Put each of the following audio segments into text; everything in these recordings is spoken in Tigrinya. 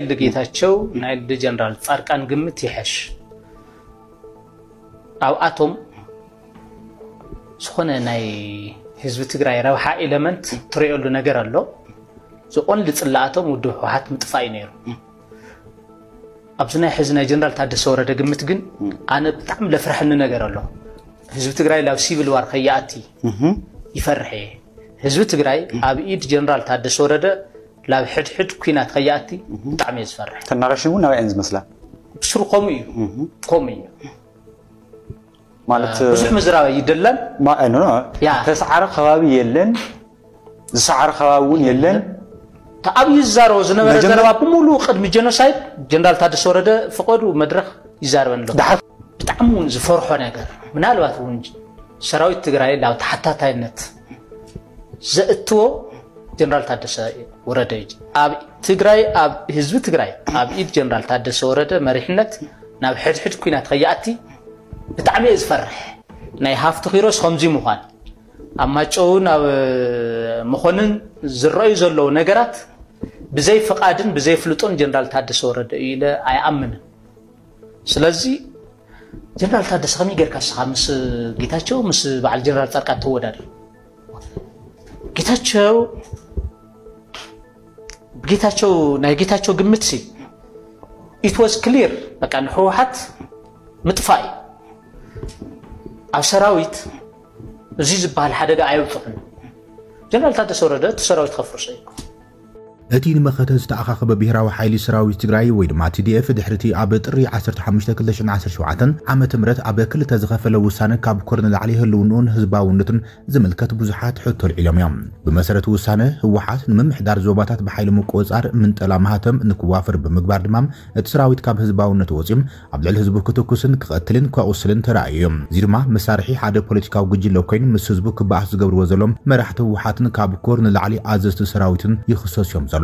ልደ ጌታቸው ናይ ልደ ጀነራል ፃድቃን ግምት ይሐሽ። ኣብኣቶም ዝኾነ ናይ ህዝቢ ትግራይ ረብሓ ኤለመንት ትሪኦሉ ነገር ኣሎ። ዝቆን ልፅላኣቶም ውድብ ህወሓት ምጥፋእ እዩ ነይሩ። ኣብዚ ናይ ሕዚ ናይ ጀነራል ታደሰ ወረደ ግምት ግን ኣነ ብጣዕሚ ለፍርሐኒ ነገር ኣሎ። ህዝቢ ትግራይ ላብ ሲቪል ዋር ከይኣቲ ይፈርሕ እየ። ህዝቢ ትግራይ ኣብ ኢድ ጀነራል ታደሰ ወረደ ላብ ሕድሕድ ኩናት ከይኣቲ ብጣዕሚ እየ ዝፈርሕ። ተናራሽን እውን ናብኣየን ዝመስላ። ብስሩ ከምኡ እዩ። ከምኡ እዩ። ማለት ብዙሕ ምዝራብ ኣይደለን። ማ- ኖ፣ ኖ፣ ያ። ተሰዓረ ከባቢ የለን፣ ዝሰዓረ ከባቢ እውን የለን። ኣብዩ ዝዛረቦ ዝነበረ መጀመርያ- ዘረባ ብምሉእ ቅድሚ ጀኖሳይድ ጀነራል ታደሰ ወረደ ፈቐዱ መድረክ ይዛረበን ኣሎ። ደሓር ብጣዕሚ እውን ዝፈርሖ ነገር ምናልባት እውን ሰራዊት ትግራይ ናብ ተሓታታይነት ዘእትዎ ጀነራል ታደሰ ወረደ እዩ። ኣብ ትግራይ ኣብ ህዝቢ ትግራይ ኣብ ኢድ ጀነራል ታደሰ ወረደ መሪሕነት ናብ ሕድሕድ ኩናት ከይኣቲ ብጣዕሚ እየ ዝፈርሕ። ናይ ሃፍቲ ኪሮስ ከምዚ ምዃን ኣብ ማጨውን ኣብ መኾንን ዝረኣዩ ዘለዉ ነገራት ብዘይ ፍቓድን ብዘይ ፍልጦን ጀነራል ታደሰ ወረደ እዩ ኢለ ኣይኣምንን። ስለዚ ጀነራል ታደሰ ከመይ ጌርካ ንስኻ ምስ ጌታቸው ምስ በዓል ጀነራል ፃድቃን ተወዳድር? ጌታቸው ጌታቸው ናይ ጌታቸው ግምት ሲ it was clear በቃ ንህወሓት ምጥፋእ እዩ። ኣብ ሰራዊት እዚ ዝበሃል ሓደጋ ኣየብፅሑን። ጀነራል ታደሰ ወረደ እቲ ሰራዊት ከፍርሶ እዩ። እቲ ንመኸተ ዝተኣኻኸበ ብሄራዊ ሓይሊ ሰራዊት ትግራይ ወይ ድማ ቲ ዲ ኤፍ ድሕሪ እቲ ኣብ ጥሪ ዓሰርተ ሓሙሽተ ክልተ ሽሕን ዓሰርተ ሸውዓተን ዓመተ ምህረት ኣብ ክልተ ዝኸፈለ ውሳነ ካብ ኮር ንላዕሊ ህልውንኡን ህዝባውነቱን ዝምልከት ብዙሓት ሕቶ ኣልዒሎም እዮም። ብመሰረት ውሳነ ህወሓት ንምምሕዳር ዞባታት ብሓይሊ ምቁፅፃር ምንጠላ ማህተም ንክዋፈር ብምግባር ድማ እቲ ሰራዊት ካብ ህዝባውነት ወፂኦም ኣብ ልዕሊ ህዝቡ ክትኩስን ክቐትልን ከቑስልን ተራእዩ እዩ። እዚ ድማ መሳርሒ ሓደ ፖለቲካዊ ጉጅለ ኮይኑ ምስ ህዝቡ ክበኣስ ዝገብርዎ ዘለዎም መራሕቲ ህወሓትን ካብ ኮር ንላዕሊ ኣዘዝቲ ሰራዊትን ይኽሰሱ እዮም ዘሎ።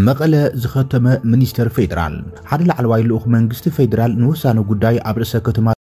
መቐለ ዝኸተመ ሚኒስተር ፌዴራል ሓደ ላዕለዋይ ልኡኽ መንግስቲ ፌዴራል ንውሳነ ጉዳይ ኣብ ርእሰ ከተማ